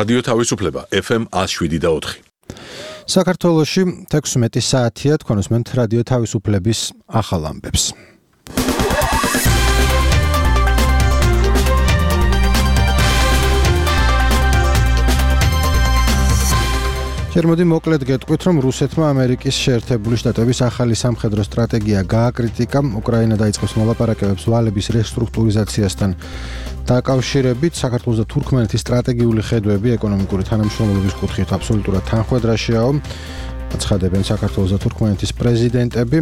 რადიო თავისუფლება FM 107.4. საქართველოში 16 საათია თქვენ უსმენთ რადიო თავისუფლების ახალ ამბებს. შემოდი მოკლედ გეტყვით, რომ რუსეთმა ამერიკის შეერთებული შტატების ახალი სამხედრო სტრატეგია გააკრიტიკა. უკრაინა დაიწყებს მოლაპარაკებებს ვალების რესტრუქტურიზაციასთან დაკავშირებით. საქართველოს და თურქმენეთის სტრატეგიული ხედვები ეკონომიკური თანამშრომლობის კუთხით აბსოლუტურად თანხმედრაშიაო. აცხადებენ საქართველოს და თურქმენეთის პრეზიდენტები.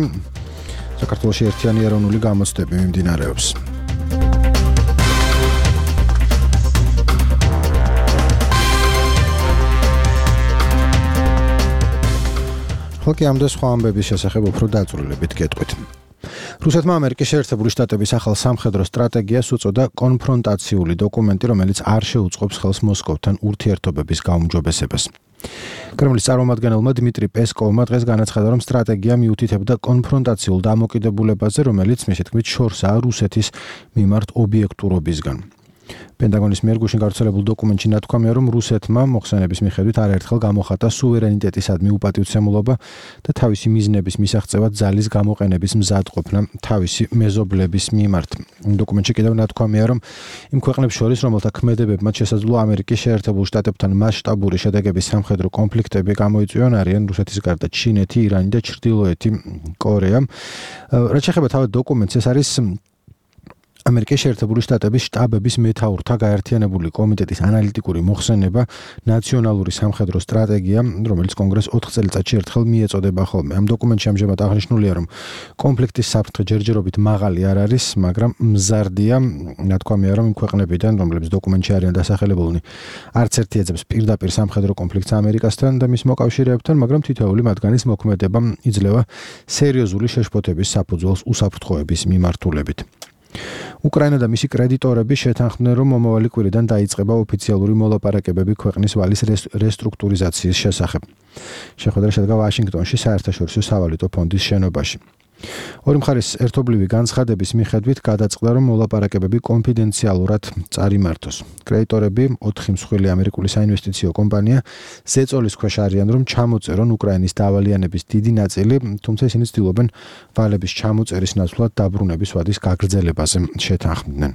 საქართველოში ერთიანი ეროვნული გამოცდები მიმდინარეობს. ხალხი ამ და სხვა ამბების შესახებ უფრო დაწვრილებით გეტყვით. რუსეთმა ამერიკის შეერთებული შტატების ახალ სამხედრო სტრატეგიას უწოდა კონფრონტაციული დოკუმენტი, რომელიც არ შეუწყობს ხელს მოსკოვთან ურთიერთობების გაუმჯობესებას. კრემლის წარმომადგენელმა დმიტრი პესკოვმა დღეს განაცხადა, რომ სტრატეგია მიუთითებდა კონფრონტაციულ დამოკიდებულებაზე, რომელიც მისი თქმით შორსაა რუსეთის მიმართ ობიექტურობისგან. პენტაგონის მიერ გუშინ გავრცელებულ დოკუმენტში ნათქვამია, რომ რუსეთმა მოხსენების მიხედვით არაერთხელ გამოხატა სუვერენიტეტისადმი უპატივცემულობა და თავისი მიზნების მისაღწევად ძალის გამოყენების მზადყოფნა თავისი მეზობლების მიმართ. დოკუმენტში კიდევ ნათქვამია, რომ იმ ქვეყნებს შორის, რომელთა ქმედებებმა შესაძლოა ამერიკის შეერთებულ შტატებთან მასშტაბური შედეგების სამხედრო კონფლიქტები გამოიწვიონ, არიან რუსეთის გარდა ჩინეთი, ირანი და ჩრდილოეთი კორეა. რაც შეეხება თავად დოკუმენტს, ეს არის ამერიკის შეერთებული შტატების შტაბების მეთაურთა გაერთიანებული კომიტეტის ანალიტიკური მოხსენება ნაციონალური სამხედრო სტრატეგია, რომელიც კონგრესს 4 წელიწადში ერთხელ მიეწოდება ხოლმე. ამ დოკუმენტში ამჟამად აღნიშნულია, რომ კონფლიქტის საფრთხე ჯერჯერობით მაღალი არ არის, მაგრამ მზარდია. ნათქვამია, რომ იმ ქვეყნებიდან, რომლებიც დოკუმენტში არიან დასახელებულნი, არც ერთი ეძებს პირდაპირ სამხედრო კონფლიქტს ამერიკასთან და მის მოკავშირეებთან, მაგრამ თითოეული მათგანის მოქმედება იძლევა სერიოზული შეშფოთების საფუძველს უსაფრთხოების მიმართულებით. უკრაინა და მისი კრედიტორები შეთანხმდნენ, რომ მომავალი კვირიდან დაიწყება ოფიციალური მოლაპარაკებები ქვეყნის ვალის რესტრუქტურიზაციის შესახებ. შეხვედრა შედგა ვაშინგტონში საერთაშორისო სავალუტო ფონდის შენობაში. ორი მხარის ერთობლივი განცხადების მიხედვით გადაწყდა, რომ მოლაპარაკებები კონფიდენციალურად წარიმართოს. კრედიტორები 4 მსხვილი ამერიკული საინვესტიციო კომპანია ზეწოლის ქვეშ არიან, რომ ჩამოწერონ უკრაინის დავალიანების დიდი ნაწილი, თუმცა ისინი ცდილობენ ვალების ჩამოწერის ნაცვლად დაბრუნების ვადის გაგრძელებაზე შეთანხმდნენ.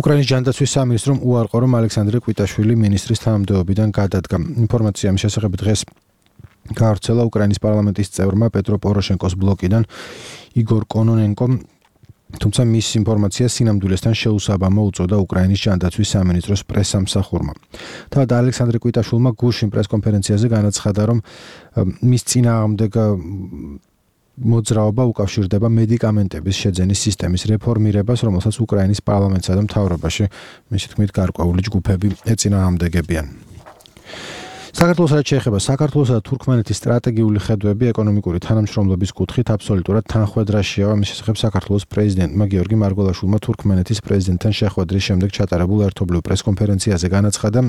უკრაინის ჯანდაცვის სამინისტრომ უარყო, რომ ალექსანდრე კვიტაშვილი მინისტრის თანამდებობიდან გადადგა. ინფორმაცია ამ შესახებ დღეს გავრცელა უკრაინის პარლამენტის წევრმა პეტრო პოროშენკოს ბლოკიდან იგორ კონონენკომ, თუმცა მის ინფორმაციას სინამდვილესთან შეუსაბამო უწოდა უკრაინის ჯანდაცვის სამინისტროს პრესსამსახურმა. თავად ალექსანდრე კვიტაშვილმა გუშინ პრესკონფერენციაზე განაცხადა, რომ მის წინააღმდეგ მოძრაობა უკავშირდება მედიკამენტების შეძენის სისტემის რეფორმირებას, რომელსაც უკრაინის პარლამენტსა და მთავრობაში მისი თქმით გარკვეული ჯგუფები ეწინააღმდეგებიან. საქართველოს რაც შეეხება საქართველოსა და თურქმენეთის სტრატეგიული ხედვები ეკონომიკური თანამშრომლობის კუთხით აბსოლუტურად თანხმედრაშიაო. ამის შესახებ საქართველოს პრეზიდენტმა გიორგი მარგველაშვილმა თურქმენეთის პრეზიდენტთან შეხვედრის შემდეგ ჩატარებულ ერთობლივ პრესკონფერენციაზე განაცხადა,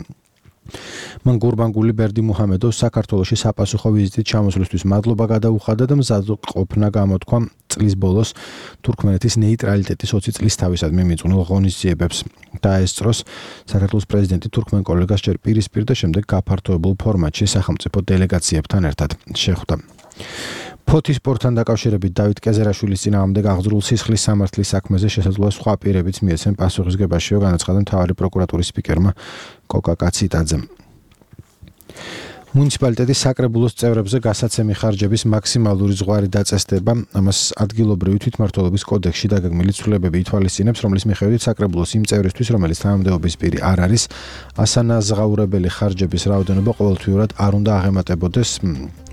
მან გურბანგული ბერდიმუჰამედოვს საქართველოში sapasukho ვიზიტით ჩამოსვლისთვის მადლობა გადაუხადა და მზადყოფნა გამოთქვა წლის ბოლოს თურქმენეთის ნეიტრალიტეტის 20 წლის თავისადმი მიწვნილ ღონისძიებებს დაესწროს. საქართველოს პრეზიდენტი თურქმენ კოლეგას ჯერ პირისპირ და შემდეგ გაფართოებულ ფორმატში სახელმწიფო დელეგაციებთან ერთად შეხვდა. ფოთის სპორტთან დაკავშირებით დავით კეზერაშვილის წინააღმდეგ აღძრულ სისხლის სამართლის საქმეზე შესაძლოა სხვა პირებიც მიეცენ პასუხისგებაშიო, განაცხადა მთავარი პროკურატურის სპიკერმა კოკა კაციტაძემ. მუნიციპალიტეტის საკრებულოს წევრებზე გასაცემი ხარჯების მაქსიმალური ზღვარი დაწესდება. ამას ადგილობრივი თვითმმართველობის კოდექსში დაგეგმილი ცვლილებები ითვალისწინებს, რომლის მიხედვით საკრებულოს იმ წევრისთვის, რომელიც თანამდებობის პირი არ არის, ასანაზღაურებელი ხარჯების რაოდენობა ყოველთვიურად არ უნდა აღემატებოდეს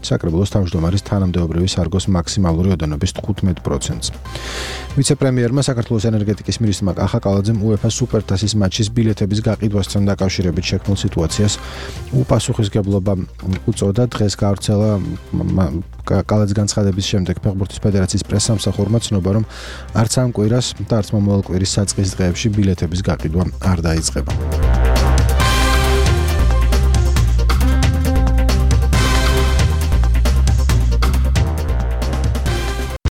საკრებულოს თავმჯდომარის თანამდებობრივი სარგოს მაქსიმალური ოდენობის 15%-ს. ვიცე-პრემიერმა საქართველოს ენერგეტიკის მინისტრმა კახა კალაძემ UEFA სუპერთასის მატჩის ბილეთების გაყიდვასთან დაკავშირებით შექმნილ სიტუაციას უპასუხისმგებლობა უწოდა. დღეს გავრცელა კალაძის განცხადების შემდეგ ფეხბურთის ფედერაციის პრესსამსახურმა ცნობა, რომ არც ამ კვირას და არც მომავალ კვირის საწყის დღეებში ბილეთების გაყიდვა არ დაიწყება.